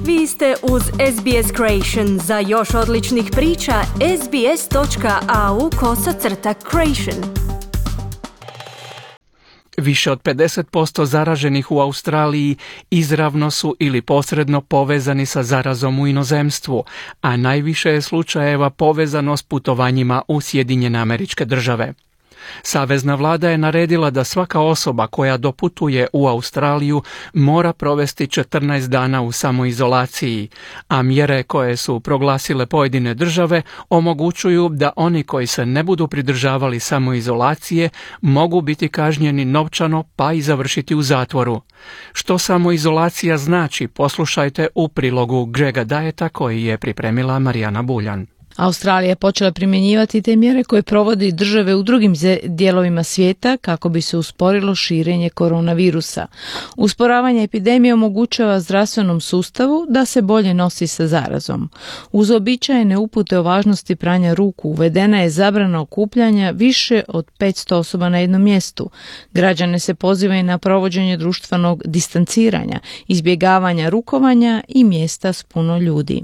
Vi ste uz SBS Creation. Za još odličnih priča, sbs.au/creation. Više od 50% zaraženih u Australiji izravno su ili posredno povezani sa zarazom u inozemstvu, a najviše je slučajeva povezano s putovanjima u Sjedinjene Američke Države. Savezna vlada je naredila da svaka osoba koja doputuje u Australiju mora provesti 14 dana u samoizolaciji, a mjere koje su proglasile pojedine države omogućuju da oni koji se ne budu pridržavali samoizolacije mogu biti kažnjeni novčano pa i završiti u zatvoru. Što samoizolacija znači, poslušajte u prilogu Grega Dieta koji je pripremila Marijana Buljan. Australija je počela primjenjivati te mjere koje provodi države u drugim dijelovima svijeta kako bi se usporilo širenje koronavirusa. Usporavanje epidemije omogućava zdravstvenom sustavu da se bolje nosi sa zarazom. Uz uobičajene upute o važnosti pranja ruku uvedena je zabrana okupljanja više od 500 osoba na jednom mjestu. Građane se pozivaju na provođenje društvenog distanciranja, izbjegavanja rukovanja i mjesta s puno ljudi.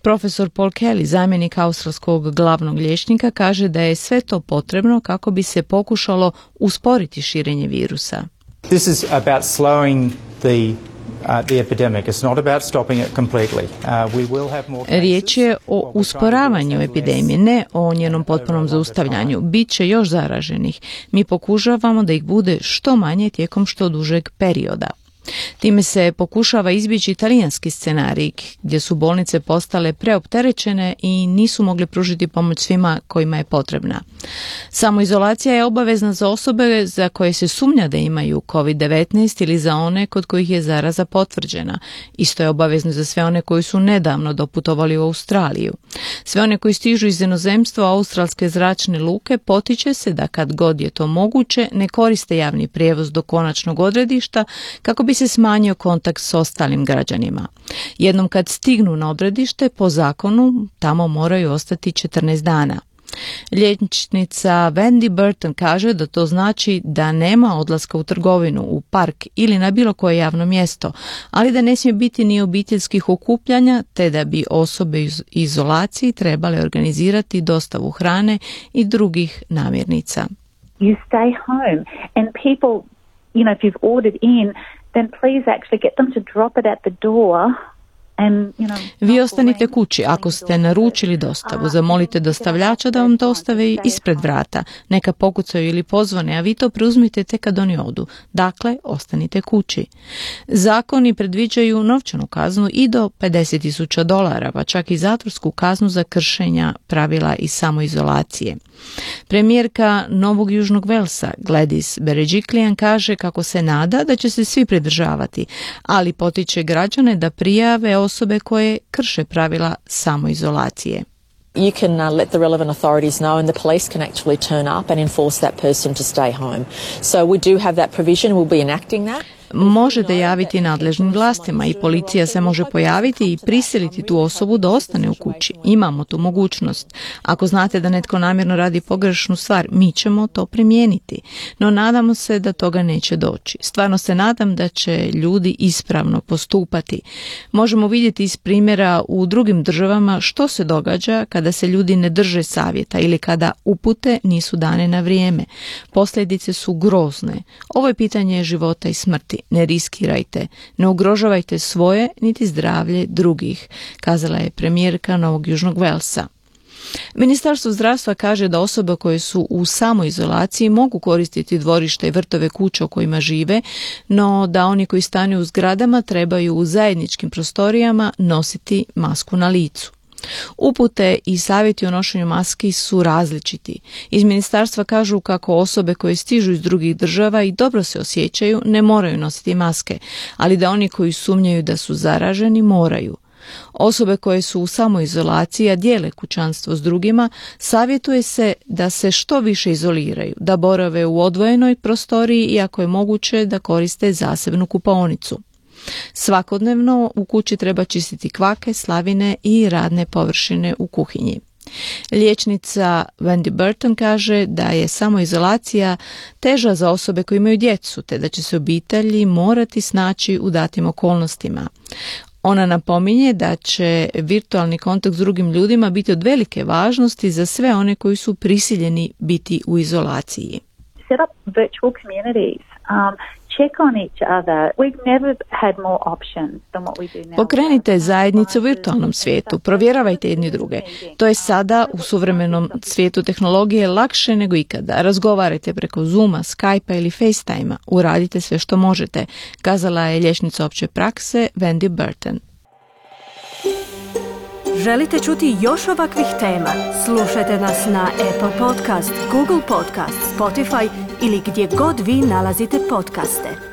Profesor Paul Kelly, zamjenik australskog glavnog liječnika, kaže da je sve to potrebno kako bi se pokušalo usporiti širenje virusa. This is about slowing the epidemic. It's not about stopping it completely. We will have more cases. Riječ je o usporavanju epidemije, ne o njenom potpunom zaustavljanju. Biće još zaraženih. Mi pokušavamo da ih bude što manje tijekom što dužeg perioda. Time se pokušava izbjeći talijanski scenarij gdje su bolnice postale preopterećene i nisu mogli pružiti pomoć svima kojima je potrebna. Samoizolacija je obavezna za osobe za koje se sumnja da imaju COVID-19 ili za one kod kojih je zaraza potvrđena. Isto je obavezno za sve one koji su nedavno doputovali u Australiju. Sve one koji stižu iz inozemstva australske zračne luke potiče se da kad god je to moguće ne koriste javni prijevoz do konačnog odredišta kako bi se smanjio kontakt s ostalim građanima. Jednom kad stignu na odredište, po zakonu tamo moraju ostati 14 dana. Liječnica Wendy Burton kaže da to znači da nema odlaska u trgovinu, u park ili na bilo koje javno mjesto, ali da ne smije biti ni obiteljskih okupljanja, te da bi osobe iz izolaciji trebale organizirati dostavu hrane i drugih namirnica. You stay home and people, if you've ordered in, then please actually get them to drop it at the door. Vi ostanite kući. Ako ste naručili dostavu, zamolite dostavljača da vam dostave ispred vrata. Neka pokucaju ili pozvane, a vi to preuzmite tek kad oni odu. Dakle, ostanite kući. Zakoni predviđaju novčanu kaznu i do $50,000, pa čak i zatvorsku kaznu za kršenja pravila i samoizolacije. Premijerka Novog Južnog Velsa, Gladys Berejiklian, kaže kako se nada da će se svi pridržavati, ali potiče građane da prijave osobe koje krše pravila samoizolacije. You can let the relevant authorities know and the police can actually turn up and enforce that person to stay home. So we do have that provision, we'll be enacting that. Možete javiti nadležnim vlastima i policija se može pojaviti i prisiliti tu osobu da ostane u kući. Imamo tu mogućnost. Ako znate da netko namjerno radi pogrešnu stvar, mi ćemo to primijeniti. No nadamo se da toga neće doći. Stvarno se nadam da će ljudi ispravno postupati. Možemo vidjeti iz primjera u drugim državama što se događa kada se ljudi ne drže savjeta ili kada upute nisu dane na vrijeme. Posljedice su grozne. Ovo je pitanje života i smrti. Ne riskirajte, ne ugrožavajte svoje niti zdravlje drugih, kazala je premijerka Novog Južnog Velsa. Ministarstvo zdravstva kaže da osobe koje su u samoizolaciji mogu koristiti dvorišta i vrtove kuća u kojima žive, no da oni koji stanuju u zgradama trebaju u zajedničkim prostorijama nositi masku na licu. Upute i savjeti o nošenju maski su različiti. Iz ministarstva kažu kako osobe koje stižu iz drugih država i dobro se osjećaju ne moraju nositi maske, ali da oni koji sumnjaju da su zaraženi moraju. Osobe koje su u samoizolaciji, a dijele kućanstvo s drugima, savjetuje se da se što više izoliraju, da borave u odvojenoj prostoriji i ako je moguće da koriste zasebnu kupaonicu. Svakodnevno u kući treba čistiti kvake, slavine i radne površine u kuhinji. Liječnica Wendy Burton kaže da je samoizolacija teža za osobe koje imaju djecu, te da će se obitelji morati snaći u datim okolnostima. Ona napominje da će virtualni kontakt s drugim ljudima biti od velike važnosti za sve one koji su prisiljeni biti u izolaciji. Set up virtual communities. Check on each other. We've never had more options than what we do now. Pokrenite zajednice u virtualnom svijetu, provjeravajte jedni druge. To je sada u suvremenom svijetu tehnologije lakše nego ikada. Razgovarajte preko Zooma, Skypea ili FaceTimea. Uradite sve što možete, kazala je liječnica opće prakse Wendy Burton. Želite čuti još ovakvih tema? Slušajte nas na Apple Podcast, Google Podcast, Spotify ili gdje god vi nalazite podcaste.